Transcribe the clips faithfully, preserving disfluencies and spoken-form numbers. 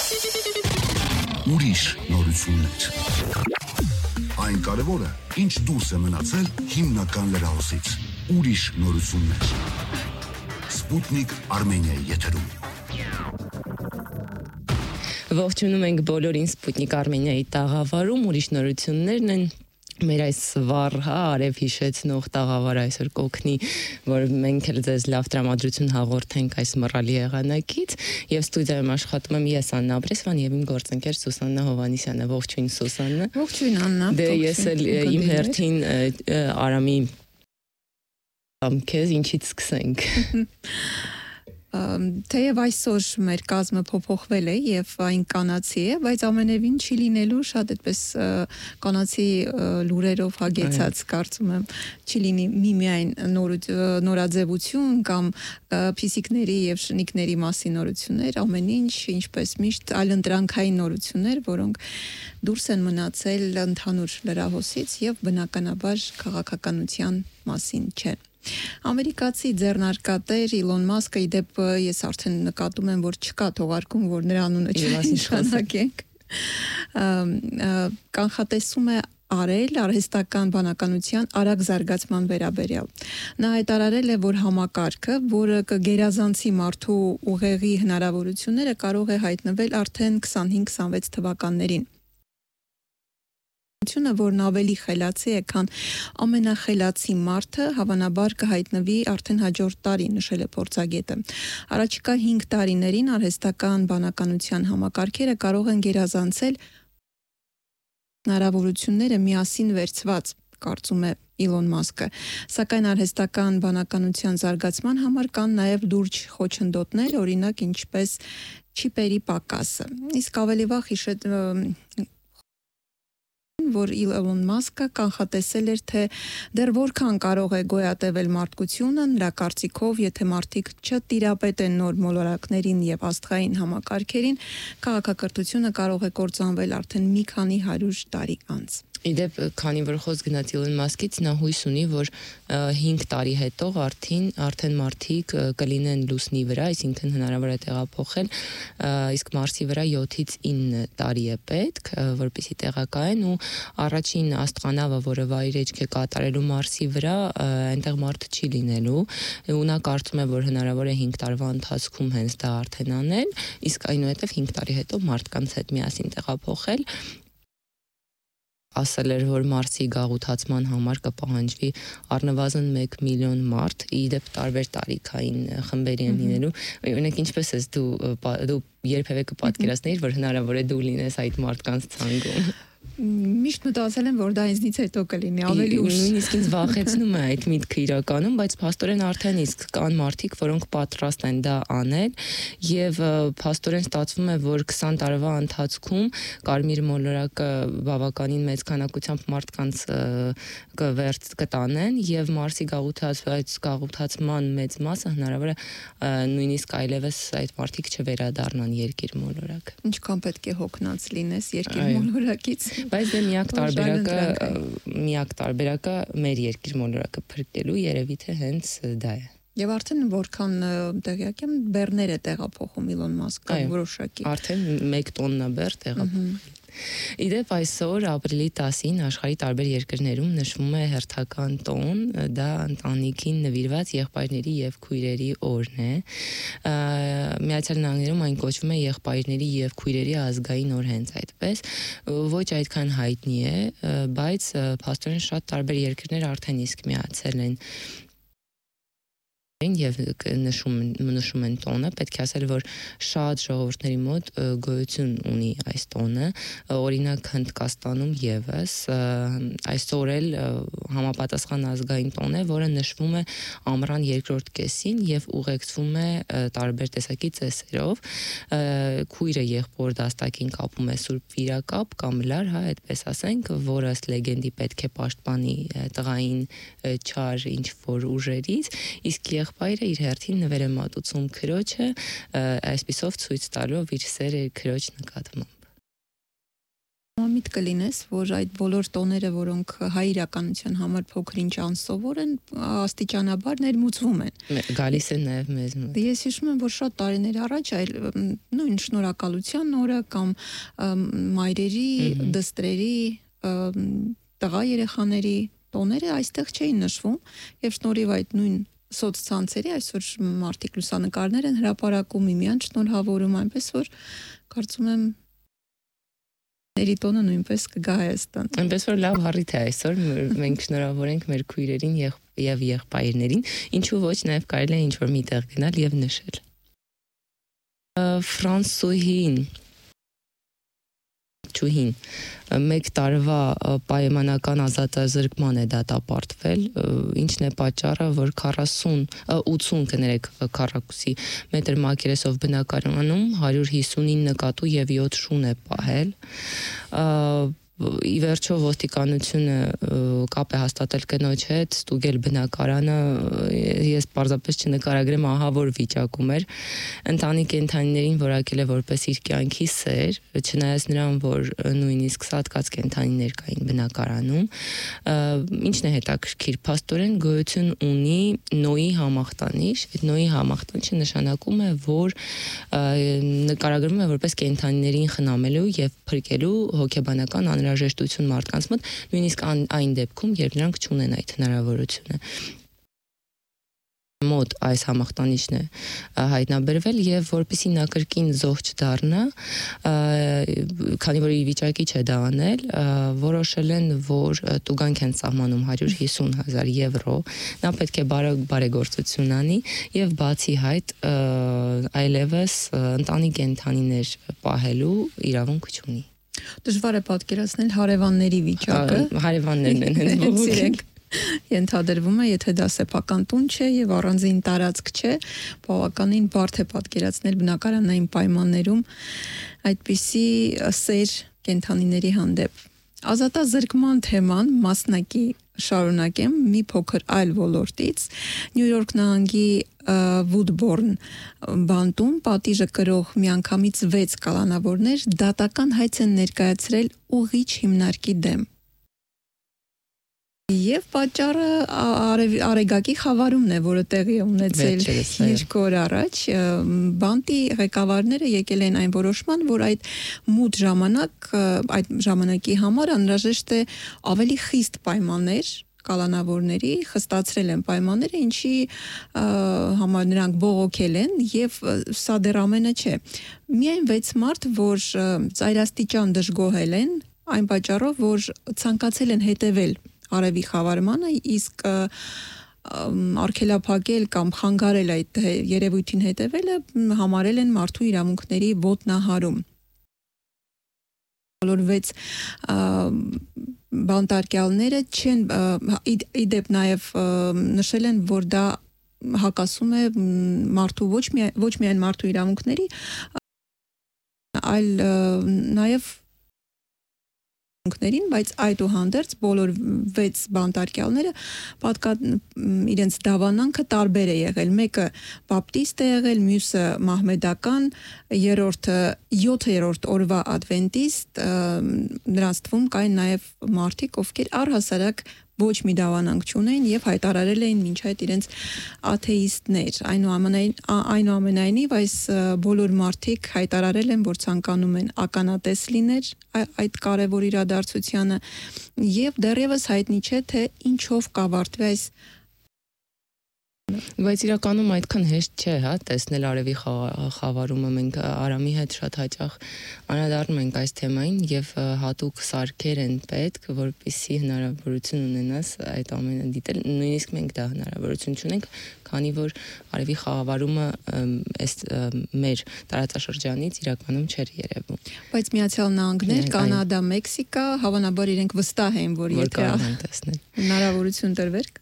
Ուրիշ նորություններ։ Այն կարևորը, ինչ դուրս է մնացել հիմնական լրահոսից։ Ուրիշ նորություններ։ Սպուտնիկ Արմենիայի եթերում։ Ողջունում ենք բոլորին Սպուտնիկ Արմենիայի տաղավարում, ուրիշ նորություններն են։ Մեր այս վառ, հա, արև հիշեցնող տաղավարը այսօր կօգնի, որ մենք էլ ձեզ լավ տրամադրություն հաղորդենք այս մռալի եղանակից, եւ ստուդիայում աշխատում եմ ես Աննա Ապրեսյան եւ իմ գործընկեր Սուսաննա Հովհաննիսյանը։ Ողջույն Սուսաննա։ Ողջույն Աննա։ Դե ես էլ իմ հերթին Արամի ամ քեզ ինչից սկսենք։ Թեև այսօր մեր կազմը փոփոխվել է եւ այն կանացի է, բայց ամենևին չի լինելու շատ այդպես կանացի լուրերով հագեցած, կարծում եմ, չի լինի միմիայն նորաձևություն կամ փիսիկների եւ շնիկների մասին նորություններ, ամեն ինչ, ինչպես միշտ այլընտրանքային նորություններ, որոնք դուրս են մնացել ընդհանուր լրահոսից եւ բնականաբար քաղաքականության մասին չեն։ Ամերիկացի ձեռնարկատեր Իլոն Մասկը, իդեպ ես արդեն նկատում եմ, որ չկա թողարկում, որ նրա անունը չնշանակենք, կանխատեսում է արել արհեստական բանականության արագ զարգացման վերաբերյալ։ Նա հայտարարել է, որ համակարգը, որը կգերազանցի մարդու ուղեղի հնարավորությունները, կարող է հայտնվել արդեն քսանհինգ քսանվեց թվականներին։ Որն ավելի խելացի է, քան ամենախելացի մարդը, հավանաբար կհայտնվի արդեն հաջորդ տարի, նշել է փորձագետը։ Առաջիկա հինգ տարիներին արհեստական բանականության համակարգերը կարող են գերազանցել հնարավորությունները միասին վերցված, կարծում է Իլոն Մասկը, սակայն արհեստական բանականության զարգացման համար կան նաև լուրջ խոչընդոտներ, օրինակ ինչպես չիպերի պակասը։ Իսկ ավելի վաղ հիշեց որ Իլոն Մասկը կանխատեսել էր, թե դեռ որքան կարող է գոյատևել մարդկությունը, նրա կարծիքով, եթե մարդիկ չտիրապետեն նոր մոլորակներին եւ աստղային համակարգերին, քաղաքակրթությունը կարող է կործանվել արդեն մի քանի հարյուր տարի անց։ Իդեպ, քանի որ խոսք գնաց Իլոն Մասկից, նա հույս ունի, որ հինգ տարի հետո արդեն արդեն մարդիկ կլինեն լուսնի վրա, այսինքն հնարավոր է տեղափոխել, իսկ Մարսի վրա յոթից ինը տարի է պետք, որպեսզի տեղակայեն, ու առաջին աստղանավը, որը վայրեջք է կատարելու Մարսի վրա, այնտեղ մարդ չի լինելու, ու նա կարծում է, որ հնարավոր է հինգ տարվա ընթացքում հենց դա արդեն անել, իսկ այնուհետև հինգ տարի հետո մարդկանց հետ միասին տեղափոխել։ Ասել էր, որ Մարսի գաղութացման համար կպահանջվի առնվազն մեկ միլիոն մարդ, իդեպ տարբեր տարիքային խմբերի են լինելու։ Օրինակ, ինչպես ես դու դու երբևէ կպատկերացնեիր, որ հնարավոր է դու լինես այդ մարդկանց ցանկում։ Միշտ մտածել եմ, որ դա ինձնից հետո կլինի, ավելի ուշ։ Նույնիսկ ինձ վախեցնում է այդ միտքը իրականում, բայց փաստորեն արդեն իսկ կան մարդիկ, որոնք պատրաստ են դա անել, եւ փաստորեն ստացվում է, որ քսան տարվա ընթացքում կարմիր մոլորակը բավականին մեծ քանակությամբ մարդկանց կվերց կտանեն եւ Մարսի գաղութացած գաղութացման մեծ մասը հնարավոր է նույնիսկ այլևս այդ մարդիկ չվերադառնան երկիր մոլորակ։ Ինչքան պետք է հոգնած լինես երկիր մոլորակից։ Բայց դե միակ տարբերակը միակ տարբերակը մեր երկիր մոլորակը փրկելու երևի թե հենց դա է։ Եվ արդեն որքան տեղյակ եմ, բեռներ է տեղափոխում Իլոն Մասկը որոշակի։ Արդեն մեկ տոննա բեռ տեղափոխել։ Իդեպ այսօր ապրիլի տասին աշխարհի տարբեր երկրներում նշվում է հերթական տոն, դա ընտանիքին նվիրված եղբայրների եւ քույրերի օրն է։ Միացյալ Նահանգներում այն կոչվում է եղբայրների եւ քույրերի ազգային օր, հենց այդպես, ոչ այդքան հայտնի է, բայց փաստորեն շատ տարբեր երկրներ արդեն իսկ միացել են եւ նշում նշում են տոնը, պետք է ասել, որ շատ ժողովուրդների մոտ գոյություն ունի այս տոնը, օրինակ Հնդկաստանում եւս այսօր էլ համապատասխան ազգային տոն է, որը նշվում է ամռան երկրորդ կեսին եւ ուղեկցվում է տարբեր տեսակի ծեսերով, քույրը եղբոր դաստակին կապում է սուրբ վիրակապ կամ լար, հա, այդպես ասենք, որը ըստ լեգենդի պետք է պաշտպանի տղային չար ինչ որ ուժերից, իսկ եղբայրը իր հերթին նվեր է մատուցում քրոջը, այսպիսով ցույց տալով իր սերը քրոջ նկատմամբ։ Մամիտ կլինես, որ այդ բոլոր տոները, որոնք հայ իրականության համար փոքր-ինչ անսովոր են, աստիճանաբար ներմուծվում են։ Գալիս են նաև մեզ մոտ։ Ես հիշում եմ, որ շատ տարիներ առաջ այլ նույն շնորհակալության օրը կամ մայրերի, դստրերի, տղա երեխաների տոները այստեղ չէին նշվում, եւ շնորհիվ այդ նույն սոցցանցերի այսօր մարդիկ լուսանկարներ են հրապարակում, միմյանց շնորհավորում, այնպես որ կարծում եմ Երիտոնը նույնպես կգա Հայաստան։ Այնպես որ լավ հարիթ է այսօր, մենք շնորհավորենք մեր քույրերին եւ եղբայրներին, ինչու ոչ նաև կարելի է ինչ-որ միտեղ գնալ եւ նշել։ Ֆրանսուհին Չուհին մեկ տարվա պայմանական ազատազրկման է դատապարտվել, ինչն է պատճառը, որ քառասուն ութսուն կներեք քառակուսի մետր մակերեսով բնակարանում հարյուր հիսունինը կատու եւ յոթ շուն է պահել։ Ի վերջո ոստիկանությունը կապ է հաստատել կնոջ հետ, ստուգել բնակարանը, ես պարզապես չնկարագրեմ ահա որ վիճակում էր, ընտանի կենդանիներին որակել է որպես իր կյանքի սեր, չնայած նրան, որ նույնիսկ սատկած կենդանիներ կային բնակարանում, ինչն է հետաքրքիր, փաստորեն գոյություն ունի Նոյի համախտանիշ, այդ Նոյի համախտանիշը նշանակում է, որ նկարագրվում է որպես կենդանիներին խնամելու եւ փրկելու հոգեբանական անհրաժեշտություն մարդկանց մոտ, նույնիսկ այն դեպքում, երբ նրանք չունեն այդ հնարավորությունը։ Մոտ այս համախտանիշն է հայտնաբերվել եւ որպեսզի նա կրկին զոհ չդառնա, քանի որ ի վիճակի չէ դա անել, որոշել են, որ տուգանք են սահմանում հարյուր հիսուն հազար եվրո, նա պետք է բարեգործություն անի եւ բացի այդ այլևս ընտանի կենդանիներ պահելու իրավունք չունի։ Դժվար է պատկերացնել հարևանների վիճակը։ Հարևաններն են հենց բողոքել։ Ենթադրվում է, եթե դա սեփական տուն չէ եւ առանձին տարածք չէ, բավականին բարդ է պատկերացնել բնակարանային պայմաններում այդպիսի սեր կենդանիների հանդեպ։ Ազատազրկման թեման մասնակի շարունակեմ մի փոքր այլ ոլորտից։ Նյու Յորք նահանգի Վուդբորն բանտում պատիժը կրող միանգամից վեց կալանավորներ դատական հայց են ներկայացրել ուղիչ հիմնարկի դեմ։ Եվ պատճառը Արեգակի խավարումն է, որը տեղի է ունեցել երկու օր առաջ, բանտի ղեկավարները եկել են այն որոշման, որ այդ մութ ժամանակ, այդ ժամանակի համար անհրաժեշտ է ավելի խիստ պայմաններ կալանավորների, խստացրել են պայմանները, ինչի համար նրանք բողոքել են եւ սա դեռ ամենը չէ։ Միայն վեց մարդ, որ ծայրաստիճան դժգոհել են, այն պատճառով, որ ցանկացել են հետևել արևի խավարմանը, իսկ արգելափակել կամ խանգարել այդ երևույթին հետևելը համարել են մարդու իրավունքների ոտնահարում։ Բոլոր վեց բանտարկյալները չեն իդեպ նաև նշել են, որ դա հակասում է մարդու ոչ միայն ոչ միայն մարդու իրավունքների, այլ նաև բայց այդուհանդերձ բոլոր վեց բանտարկյալները պատկա իրենց դավանանքը տարբեր է եղել, մեկը բապտիստ է եղել, մյուսը մահմեդական, երրորդը յոթերորդ օրվա ադվենտիստ, նրանց թվում կային նաև մարդիկ, ովքեր առհասարակ ոչ մի դավանանք չունեն եւ հայտարարել էին մինչ այդ իրենց աթեիստներ։ Այնուամենայնիվ այս բոլոր մարդիկ հայտարարել են, որ ցանկանում են ականատես լինել այդ կարևոր իրադարձությանը եւ դեռևս հայտնի չէ, թե ինչով կավարտվի այս Բայց իրականում այդքան հեշտ չէ, հա, տեսնել արևի խավարումը, մենք Արամի հետ շատ հաճախ անդրադառնում ենք այս թեմային եւ հատուկ սարքեր են պետք, որպեսզի հնարավորություն ունենաս այդ ամենը դիտել, նույնիսկ մենք դա հնարավորություն չունենք, քանի որ արևի խավարումը այս մեր տարածաշրջանից իրականում չէր երևում։ Բայց Միացյալ Նահանգներ, Կանադա, Մեքսիկա հավանաբար իրենք վստահ են, որ եթե հնարավորություն տրվեր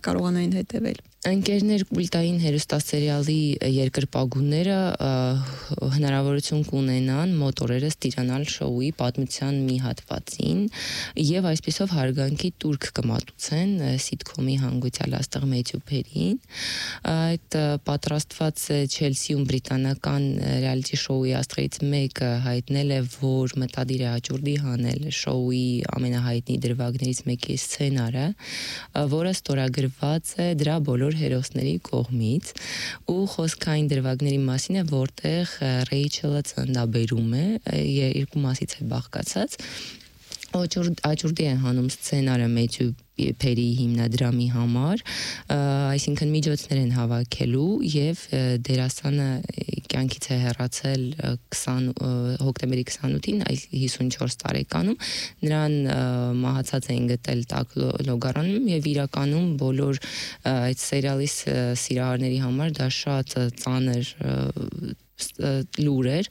կարողանային հետևել։ Ընկերներ կուլտային հերոստասերիալի երկրպագուները հնարավորություն կունենան մոտ օրերս տիրանալ շոուի պատմության մի հատվածին եւ այսպեսով հարգանքի տուրք կմատուցեն սիթքոմի հանգուցյալ աստղ Մեթյու Փերին։ Այդ պատրաստված Չելսիում բրիտանական ռեալիթի շոուի աստղերից մեկը հայտնել է, որ մտադիր է հաջորդի հանել շոուի ամենահայտնի դրվագներից մեկի սցենարը, որը ստորագրված է դրա բոլոր հերոսների կողմից ու խոսքային դրվագների մասին է, որտեղ Ռեյչելը ծննդաբերում է, երկու մասից է բաղկացած, Աճուրդի է հանում սցենարը Մեթյու Փերի հիմնադրամի համար, այսինքն միջոցներ են հավաքելու եւ դերասանը կյանքից է հեռացել հոկտեմբերի քսանութին, այս հիսունչորս տարեկանում, նրան մահացած էին գտել տաք լոգարանում եւ իրականում բոլոր այդ սերիալի սիրահարների համար դա շատ ծանր լուր էր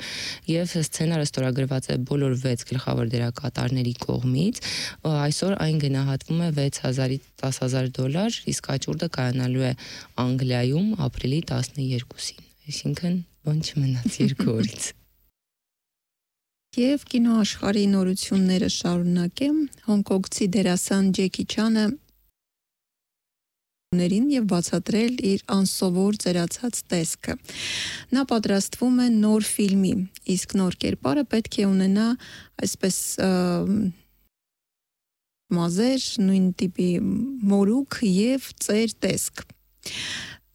եւ սցենարը ստորագրված է բոլոր վեց գլխավոր դերակատարների կողմից, այսօր այն գնահատվում է վեց հազարից տասը հազար դոլար, իսկ աճուրդը կայանալու է Անգլիայում ապրիլի տասներկուսին, այսինքն բան չմնաց երկու օրից։ Եվ կինոաշխարհի նորությունները շարունակեմ, հոնկոնգցի դերասան Ջեկի Չանը եւ բացատրել իր անսովոր ծերացած տեսքը։ Նա պատրաստվում է նոր ֆիլմի, իսկ նոր կերպարը պետք է ունենա այսպես մազեր, նույն տիպի մորուք եւ ծեր տեսք։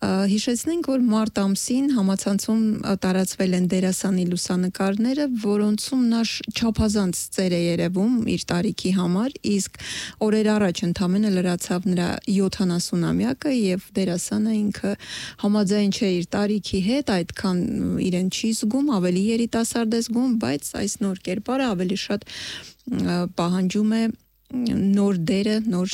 Հիշեցնենք, որ մարտ ամսին համացանցում տարածվել են դերասանի լուսանկարները, որոնցում նա չափազանց ծեր է երևում իր տարիքի համար, իսկ օրեր առաջ ընդամենը լրացավ նրա յոթանասունամյակը եւ դերասանը ինքը համաձայն չէ իր տարիքի հետ, այդքան իրեն չի զգում, ավելի երիտասարդ է զգում, բայց այս նոր կերպարը ավելի շատ պահանջում է նոր դերը, նոր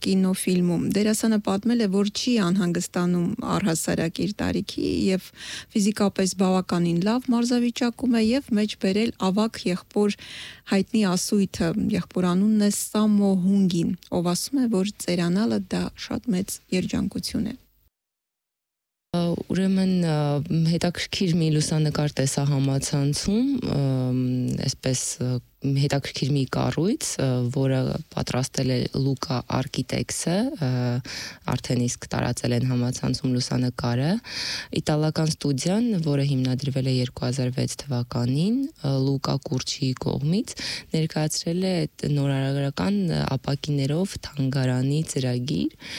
կինոֆիլմում։ Դերասանը պատմել է, որ չի անհանգստանում առհասարակ իր տարիքի եւ ֆիզիկապես բավականին լավ մարզավիճակում է եւ մեջ բերել ավակ եղբոր հայտնի ասույթը, եղբոր անունն է Սամո Հունգին, ով ասում է, որ ծերանալը դա շատ մեծ երջանկություն է։ Ուրեմն հետաքրքիր մի լուսանկար տեսա համացանցում, այսպես հետաքրքիր մի կառույց, որը պատրաստել է Լուկա Architects-ը, արդեն իսկ տարածել են համացանցում լուսանկարը, իտալական ստուդիան, որը հիմնադրվել է երկու հազար վեց թվականին, Լուկա Կուրչիի կողմից, ներկայացրել է նորարարական ապակիներով թանգարանի ծրագիր,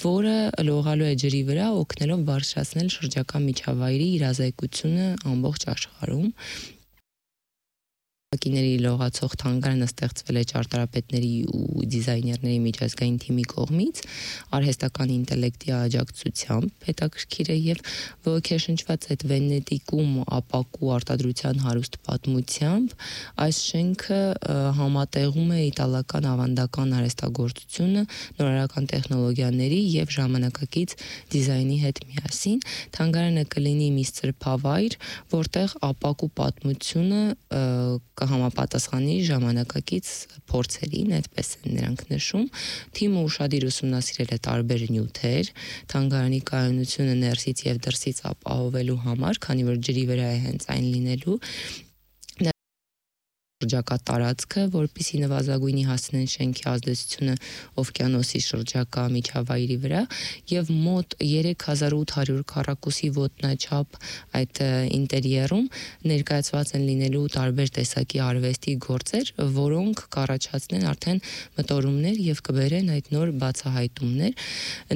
որը լողալու է ջրի վրա, օգնելով բարձրացնել շրջակա միջավայրի իրազեկությունը ամբողջ աշխարհում։ Ապակիների լողացող թանգարանը ստեղծվել է ճարտարապետների ու դիզայներների միջազգային թիմի կողմից, արհեստական ինտելեկտի աջակցությամբ, հետաքրքիր է եւ ոգեշնչված այդ Վենետիկում ապակու արտադրության հարուստ պատմությամբ, այս շենքը համատեղում է իտալական ավանդական արհեստագործությունը նորարարական տեխնոլոգիաների եւ ժամանակակից դիզայնի հետ միասին։ Թանգարանը կլինի մի սրբավայր, որտեղ ապակու պատմությունը կհամապատասխանի ժամանակակից փորձերին, այդպես են նրանք նշում։ Թիմը ուշադիր ուսումնասիրել է տարբեր նյութեր, թանգարանի կայունությունը ներսից եւ դրսից ապահովելու համար, քանի որ ջրի վրա է հենց այն լինելու, շրջակա տարածքը, որպեսզի նվազագույնի հասնեն շենքի ազդեցությունը օվկիանոսի շրջակա միջավայրի վրա եւ մոտ երեք հազար ութ հարյուր քառակուսի ոտնաչափ այդ ինտերիերում ներկայացված են լինելու տարբեր տեսակի արվեստի գործեր, որոնք կառաջացնեն արդեն մտորումներ եւ կբերեն այդ նոր բացահայտումներ։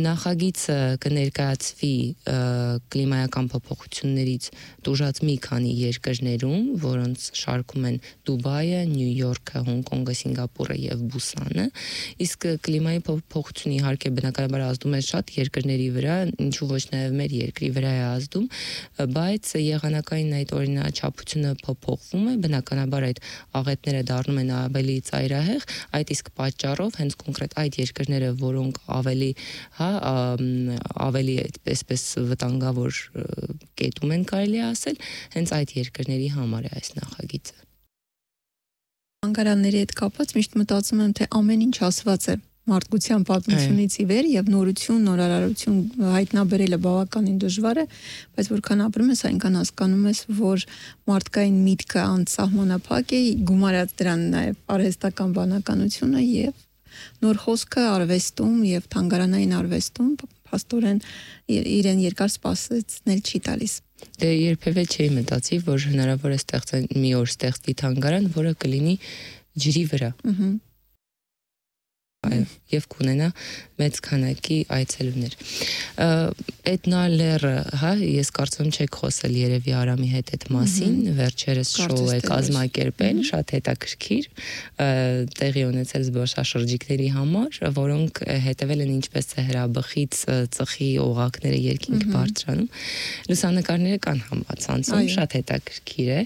Նախագիծը կներկայացվի կլիմայական փոփոխություններից տուժած մի քանի երկրներում, որոնց շարքում են Դուբայ, Նյու Յորքը, Հոնկոնգը, Սինգապուրը եւ Բուսանը, իսկ կլիմայի փոփոխությունը իհարկե բնականաբար ազդում է շատ երկրների վրա, ինչու ոչ նաեւ մեր երկրի վրա է ազդում, բայց եղանակային այդ օրինաչափությունը փոփոխվում է, բնականաբար այդ աղետները դառնում են ավելի ծայրահեղ, այդ իսկ պատճառով հենց կոնկրետ այդ երկրները, որոնք ավելի, հա, ավելի այսպես վտանգավոր կետում են կարելի ասել, հենց այդ երկրների համար է այս նախագիծը։ Թանգարանների հետ կապված միշտ մտածում եմ, թե ամեն ինչ ասված է, մարդկության պատմությունից ի վեր եւ նորություն, նորարարություն հայտնաբերելը բավականին դժվար է, բայց որքան ապրում ես, այնքան հասկանում ես, որ մարդկային միտքը անսահմանափակ է, գումարած դրան նաեւ արհեստական բանականությունը եւ նոր խոսքը արվեստում եւ թանգարանային արվեստում փաստորեն իրեն երկար սպասեցնել չի տալիս։ Դե երբևէ չի մտածի, որ հնարավոր է ստեղծել մի օր ստեղծի թանգարան, որը կլինի ջրի վրա։ Ահա եւ կունենա մեծ քանակի այցելուներ։ Էտնալերը, հա, ես կարծում չեք խոսել երևի Արամի հետ այդ մասին, վերջերս շոու է կազմակերպել, շատ հետաքրքիր, տեղի ունեցել զբոսաշրջիկների համար, որոնք հետևել են ինչպես է հրաբխից ծխի օղակները երկինք բարձրանում։ Լուսանկարները կան համացանցում, շատ հետաքրքիր է,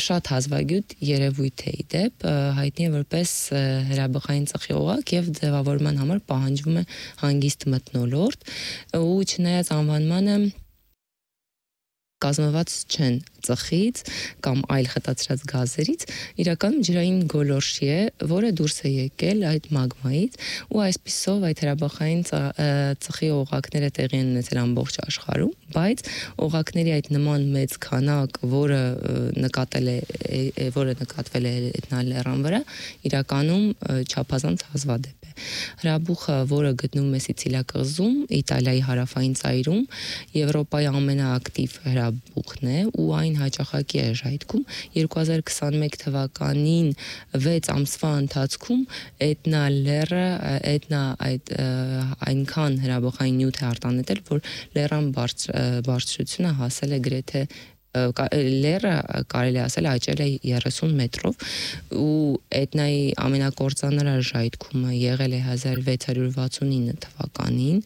շատ հազվագյուտ երևույթ է իդեպ, հայտնի է որպես հրաբխային ծխի օղակ եւ ձևավորման համար պահանջվում է հանգիստ մթնոլորտ ու չնայած անվանմանը կազմված չեն ծխից կամ այլ խտացրած գազերից, իրականում ջրային գոլորշի է, որը դուրս է եկել այդ մագմայից ու այսպիսով այդ հրաբխային ծխի օղակները տեղի են ունեցել ամբողջ աշխարհում, բայց օղակների այդ նման մեծ քանակ, որը նկատել է, որը նկատվել է Էտնալերան վրա, իրականում չափազանց հազվադեպ է։ Հրաբուխը, որը գտնվում է Սիցիլիա կղզում, Իտալիայի հարավային ծայրում, Եվրոպայի ամենաակտիվ հրաբուխն է ու այն հաճախակի է ժայթքում երկու հազար քսանմեկ թվականին վեց ամսվա ընթացքում Էտնալերը Էտնա այդ այնքան հրաբխային նյութ է արտանետել, որ լեռան բարձրությունը հասել է գրեթե լեռը կարելի ասել աճել է երեսուն մետրով ու Էտնայի ամենակործանարար ժայթքումը եղել է հազար վեց հարյուր վաթսունինը թվականին,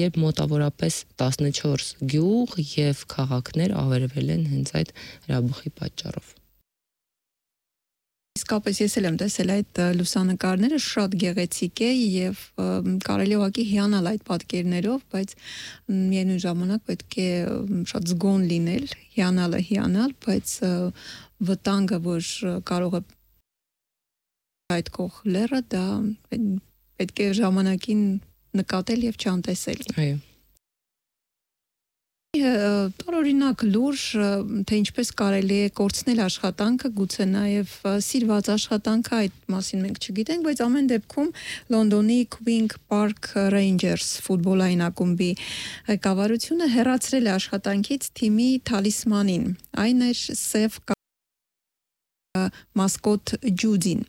երբ մոտավորապես տասնչորս գյուղ եւ քաղաքներ ավերվել են հենց այդ հրաբխի պատճառով։ Իսկապես ես էլ եմ տեսել այդ լուսանկարները, շատ գեղեցիկ է եւ կարելի ուղղակի հիանալ այդ պատկերներով, բայց միևնույն ժամանակ պետք է շատ զգոն լինել, հիանալը հիանալ, բայց վտանգը, որ կարող է այդ կող լեռը, դա պետք է ժամանակին նկատել եւ չանտեսել։ Այո։ Տարօրինակ լուրջ, թե ինչպես կարելի է կորցնել աշխատանքը, գուցե նաև սիրված աշխատանքը, այդ մասին մենք չգիտենք, բայց ամեն դեպքում Լոնդոնի Queen Park Rangers ֆուտբոլային ակումբի ղեկավարությունը հեռացրել է աշխատանքից թիմի թալիսմանին, այն էր սև մասկոտ Ջուդին։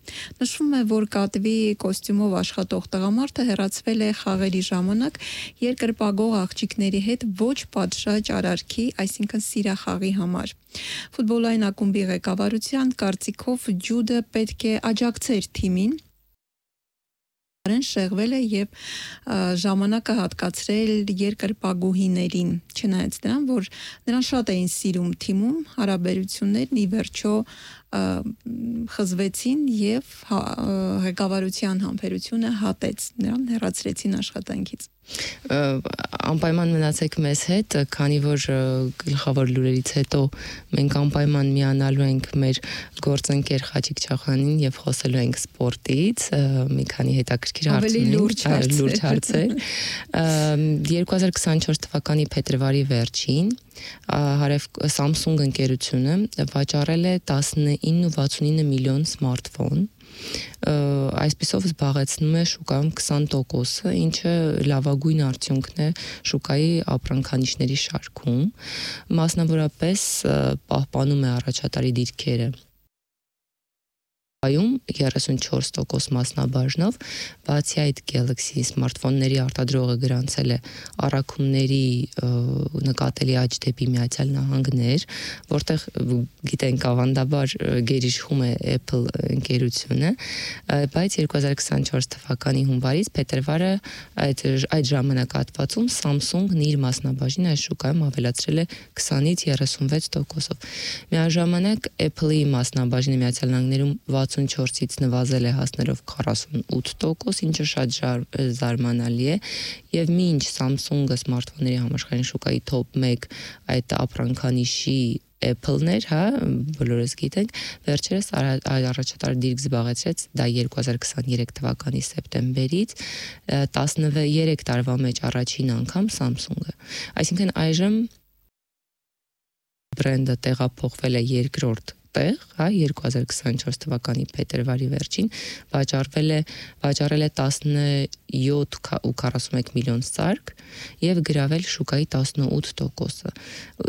Նշվում է, որ կատվի կոստյումով աշխատող տղամարդը հեռացվել է խաղերի ժամանակ երկրպագող աղջիկների հետ ոչ պատշաճ արարքի, այսինքն սիրախաղի համար։ Ֆուտբոլային ակումբի ղեկավարության կարծիքով Ջուդը պետք է աջակցեր թիմին, շեղվել է եւ ժամանակը հատկացրել երկրպագուհիներին, չնայած դրան, որ նրան շատ էին սիրում թիմում, հարաբերություններն ի վերջո խզվեցին եւ ղեկավարության համբերությունը հատեց, նրան հեռացրեցին աշխատանքից։ Անպայման մնացեք մեզ հետ, քանի որ գլխավոր լուրերից հետո մենք անպայման միանալու ենք մեր գործընկեր Խաչիկ Չախանին եւ խոսելու ենք սպորտից, մի քանի հետաքրքիր հարցեր, լուրջ հարցեր։ երկու հազար քսանչորս թվականի փետրվարի վերջին Հարև Samsung ընկերությունը վաճառել է տասնինը վաթսունինը միլիոն սմարթֆոն, այսպիսով զբաղեցնում է շուկայում քսան տոկոսը, ինչը լավագույն արդյունքն է շուկայի ապրանքանիշների շարքում, մասնավորապես պահպանում է առաջատարի դիրքերը երեսունչորս տոկոս մասնաբաժնով, բացի այդ Galaxy սմարթֆոնների արտադրողը գրանցել է առաքումների նկատելի աճ դեպի Միացյալ Նահանգներ, որտեղ գիտենք ավանդաբար գերիշխում է Apple ընկերությունը, բայց երկու հազար քսանչորս թվականի հունվարից փետրվարը այդ այդ ժամանակահատվածում Samsung-ն իր մասնաբաժինը այս շուկայում ավելացրել է քսանից երեսունվեց տոկոսով։ Միաժամանակ Apple-ի մասնաբաժինը Միացյալ Նահանգներում վաթսուն ութսունչորսից նվազել է հասնելով քառասունութ տոկոս, ինչը շատ զարմանալի է, եւ մինչ Samsung-ը սմարթֆոնների համաշխարհային շուկայի top մեկ այդ ապրանքանիշի Apple-ներ, հա, բոլորս գիտենք, վերջերս առաջատար դիրք զբաղեցրեց դա երկու հազար քսաներեք թվականի սեպտեմբերից, տասներեք տարվա մեջ առաջին անգամ Samsung-ը։ Այսինքն այժմ բրենդը տեղափոխվել է երկրորդ տեղ, հա, երկու հազար քսաներեք թվականի փետրվարի վերջին, վաճառվել է վաճառել է տասնյոթ ու քառասունմեկ միլիոն սարք եւ գրավել շուկայի տասնութ տոկոսը։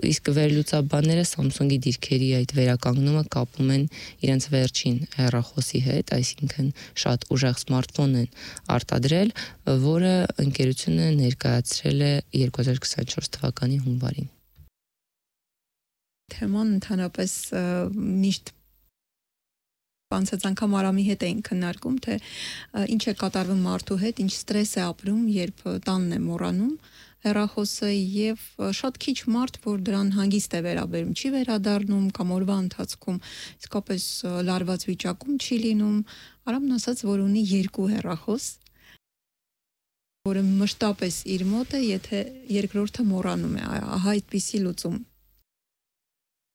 Իսկ վերլուծաբանները Samsung-ի դիրքերի այդ վերականգնումը կապում են իրենց վերջին հեռախոսի հետ, այսինքն շատ ուժեղ սմարթֆոն են արտադրել, որը ընկերությունը ներկայացրել է երկու հազար քսաներեք թվականի հունվարին։ Թեման ընդհանրապես միշտ անցած անգամ Արամի հետ էին քննարկում, թե ինչ է կատարվում մարդու հետ, ինչ ստրես է ապրում, երբ տանն է մոռանում հեռախոսը եւ շատ քիչ մարդ, որ դրան հանգիստ է վերաբերում, չի վերադառնում կամ օրվա ընթացքում իսկապես լարված վիճակում չի լինում։ Արամն ասաց, որ ունի երկու հեռախոս, որը մշտապես իր մոտ է, եթե երկրորդը մոռանում է, ահա այդպիսի լուծում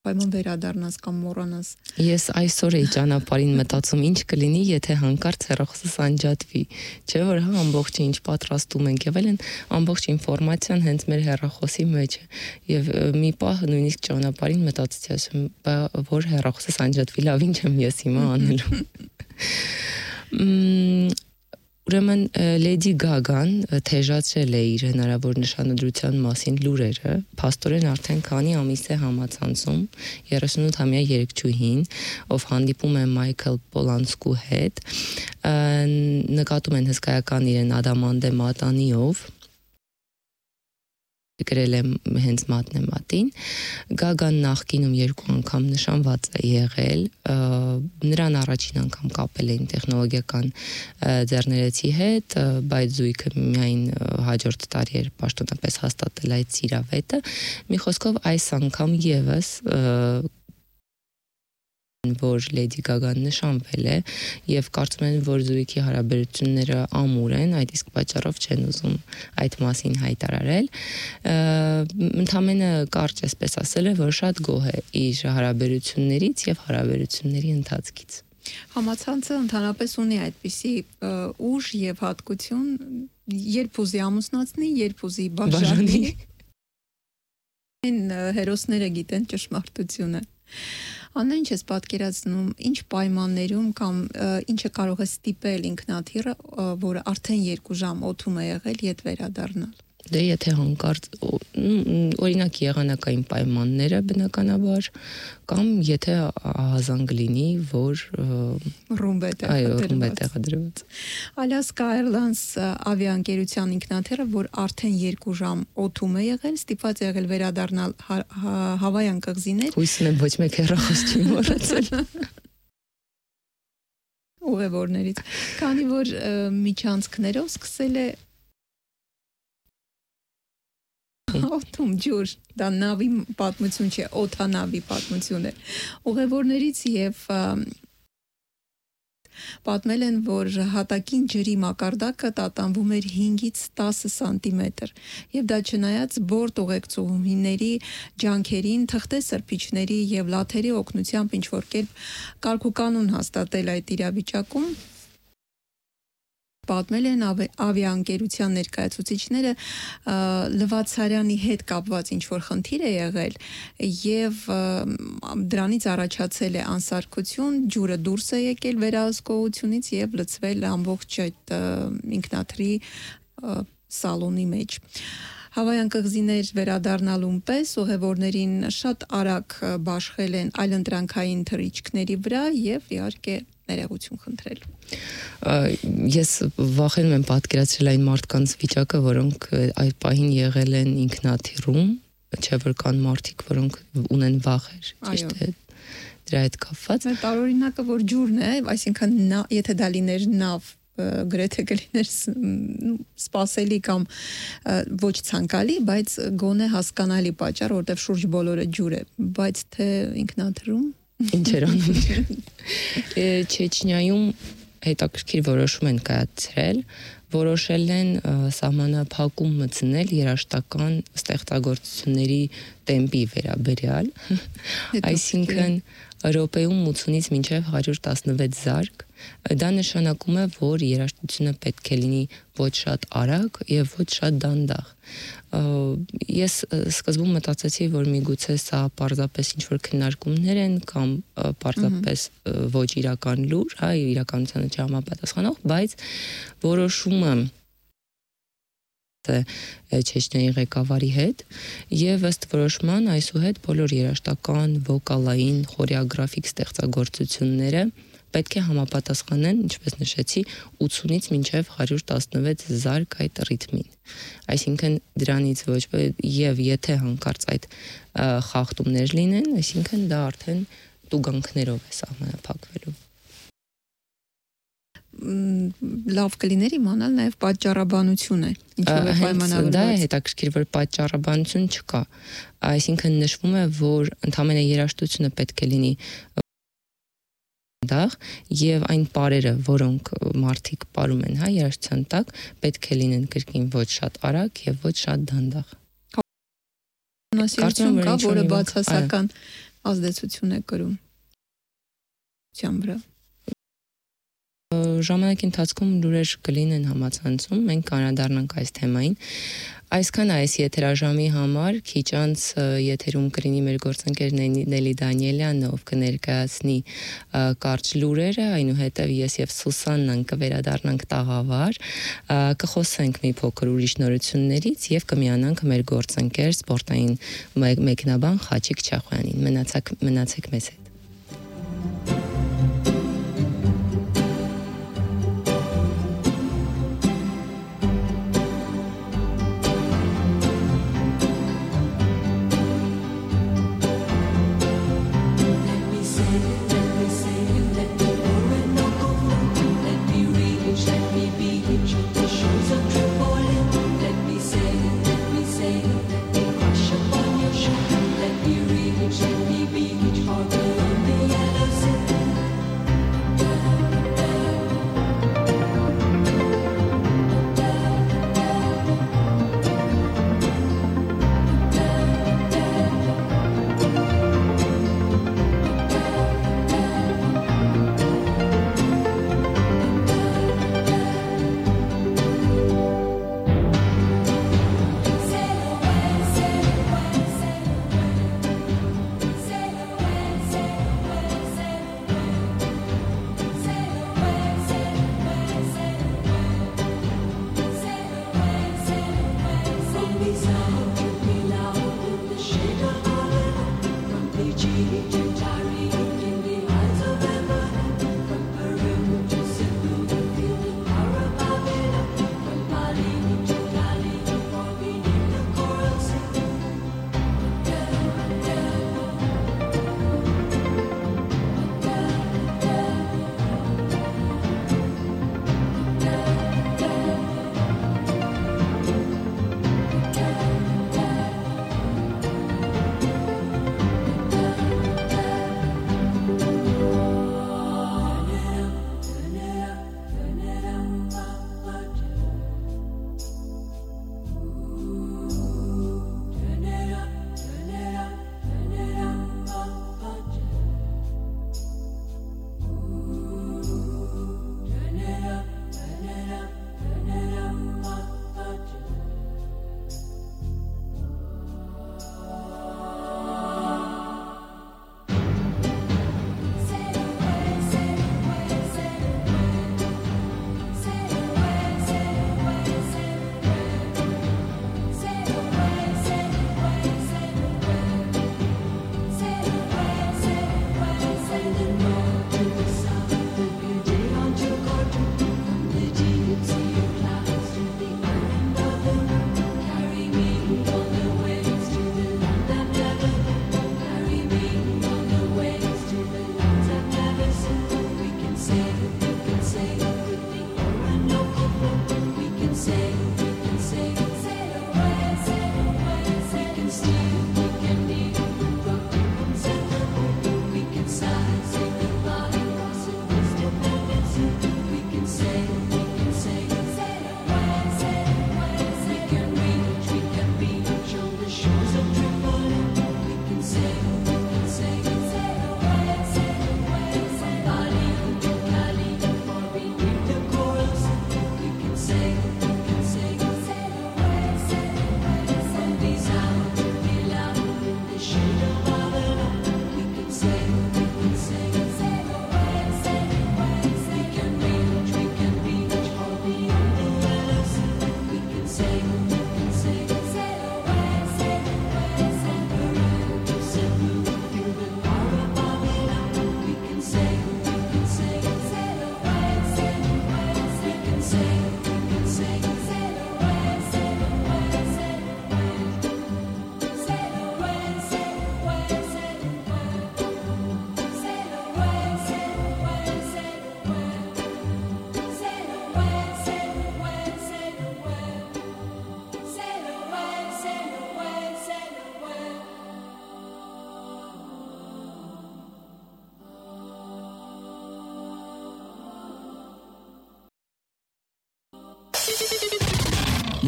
պայման վերադառնաս կամ մոռանաս։ Ես այսօր էի ճանապարհին մտածում, ինչ կլինի, եթե հանկարծ հեռախոսս անջատվի, չէ՞ որ հա ամբողջը ինչ պատրաստում ենք եւ այլն, ամբողջ ինֆորմացիան հենց մեր հեռախոսի մեջ է։ Եվ մի պահ նույնիսկ ճանապարհին մտածեցի, ասում, որ հեռախոսս անջատվի, լավ, ինչ եմ ես հիմա անելու։ Ուրեմն Lady Gaga-ն թեժացրել է իր հնարավոր նշանադրության մասին լուրերը, փաստորեն արդեն քանի ամիս է համացանցում երեսունութամյա երեքչուհին, ով հանդիպում է Մայքլ Պոլանսկու հետ, նկատում են հսկայական իրեն ադամանդե մատանիով, գրել է հենց մատնեմատին, Գագան նախկինում երկու անգամ նշանված է եղել, նրան առաջին անգամ կապել էին տեխնոլոգիական ձեռներեցի հետ, բայց զույգը միայն հաջորդ տարի էր պաշտոնապես հաստատել այդ սիրավետը, մի խոսքով այս անգամ եւս որ Lady Gaga-ն նշանվել է եւ կարծում են, որ զույգի հարաբերությունները ամուր են, այդ իսկ պատճառով չեն ուզում այդ մասին հայտարարել։ Ընդամենը կարճ էսպես ասել է, որ շատ գոհ է իր հարաբերություններից եւ հարաբերությունների ընթացքից։ Համացանցը ընդհանրապես ունի այդպիսի ուժ եւ հատկություն, երբ ուզի ամուսնացնի, երբ ուզի բաժանի։ Այն հերոսները գիտեն ճշմարտությունը։ Աննա, ինչ ես պատկերացնում, ինչ պայմաններում կամ ինչը կարող է ստիպել ինքնաթիռը, որը արդեն երկու ժամ օդում է եղել, ետ վերադառնալ։ Դե եթե հանկարծ օրինակ եղանակային պայմանները բնականաբար կամ եթե ահազանգ լինի, որ ռումբ է տեղադրված։ Alaska Airlines ավիաընկերության ինքնաթիռը, որ արդեն երկու ժամ օդում է եղել, ստիպված է եղել վերադառնալ Հավայան կղզիներ։ Հույսում եմ ոչ մեկ հեռախոս չի մոռացել։ Ուղևորներից, քանի որ միջանցքներով սկսել է օդում ջուր, դա նավի պատմություն չէ, օդանավի պատմություն է։ Ուղևորներից եւ պատմել են, որ հատակին ջրի մակարդակը տատանվում էր հինգից տասը սանտիմետր, եւ դա չնայած բորտ ուղեկցուհիների ջանքերին, թղթե սրբիչների եւ լաթերի օգնությամբ ինչ որ կերպ կարգուկանոն հաստատել այդ իրավիճակում։ Պատմել են ավիաընկերության ներկայացուցիչները Լվացարյանի հետ կապված ինչ որ խնդիր է եղել եւ դրանից առաջացել է անսարքություն, ջուրը դուրս է եկել վերահսկողությունից եւ լցվել ամբողջ այդ ինքնաթիռի սալոնի մեջ։ Հավայան կղզիներ վերադառնալուն պես ուղևորներին շատ արագ բաշխել են այլընտրանքային թռիչքների վրա եւ իհարկե ներողություն խնդրել։ Ես վախենում եմ պատկերացրել այն մարդկանց վիճակը, որոնք այդ պահին եղել են ինքնաթիռում, չէ՞ որ կան մարդիկ, որոնք ունեն վախեր, ճիշտ է, դրա հետ կապված։ Տարօրինակը որ ջուրն է, այսինքն եթե դա լիներ նավ, գրեթե կլիներ սպասելի կամ ոչ ցանկալի, բայց գոնե հասկանալի պատճառ, որտեղ շուրջ բոլորը ջուր է, բայց թե ինքնաթիռում Ինչեր անում են։ Չեչնիայում հետաքրքիր որոշում են կայացրել, որոշել են սահմանափակում մտցնել երաժշտական ստեղծագործությունների տեմպի վերաբերյալ, այսինքն րոպեում ութունից մինչև հարյուր տասնվեց զարկ, դա նշանակում է, որ երաժշտությունը պետք է լինի ոչ շատ արագ եւ ոչ շատ դանդաղ։ Ես սկզբում մտածեցի, որ միգուցե սա պարզապես ինչ-որ քննարկումներ են կամ պարզապես ոչ իրական լուր, հա, իրականությանը չհամապատասխանող, բայց որոշումը Չեչնիայի ղեկավարի հետ եւ ըստ որոշման այսուհետ բոլոր երաժշտական, վոկալային, խորեոգրաֆիկ ստեղծագործությունները պետք է համապատասխանեն, ինչպես նշեցի, ութունից մինչև հարյուր տասնվեց զարկ այդ ռիթմին։ Այսինքն դրանից ոչ եւ եթե հանկարծ այդ խախտումներ լինեն, այսինքն դա արդեն տուգանքներով է սահմանափակվելու։ Լավ կլիներ իմանալ նաև պատճառաբանությունը, ինչով է պայմանավորված։ Դա է հետաքրքիր, որ պատճառաբանություն չկա։ Այսինքն նշվում է, որ ընդհանրապես երաժշտությունը պետք է լինի դանդաղ եւ այն պարերը, որոնք մարդիկ ապրում են, հա, երաժշտության տակ, պետք է լինեն կրկին ոչ շատ արագ եւ ոչ շատ դանդաղ։ Կարծում եմ, որը բացասական ազդեցություն է կրում ցան վրա։ Ժամանակի ընթացքում լուրեր կլինեն համացանցում, մենք կանրադառնանք այս թեմային։ Այսքան այս եթերաժամի համար քիչ անց եթերում կլինի մեր գործընկեր Նելի Դանիելյանը, ով կներկայացնի կարճ լուրերը, այնուհետև ես եւ Սուսաննան կվերադառնանք տաղավար, կխոսենք մի փոքր ուրիշ նորություններից եւ կմիանանք մեր գործընկեր սպորտային մեկնաբան Խաչիկ Չախոյանին։ Մնացեք մնացեք մեզ հետ։ Let me reach, let me be each other.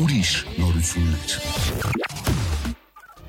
Ուրիշ նորություններ։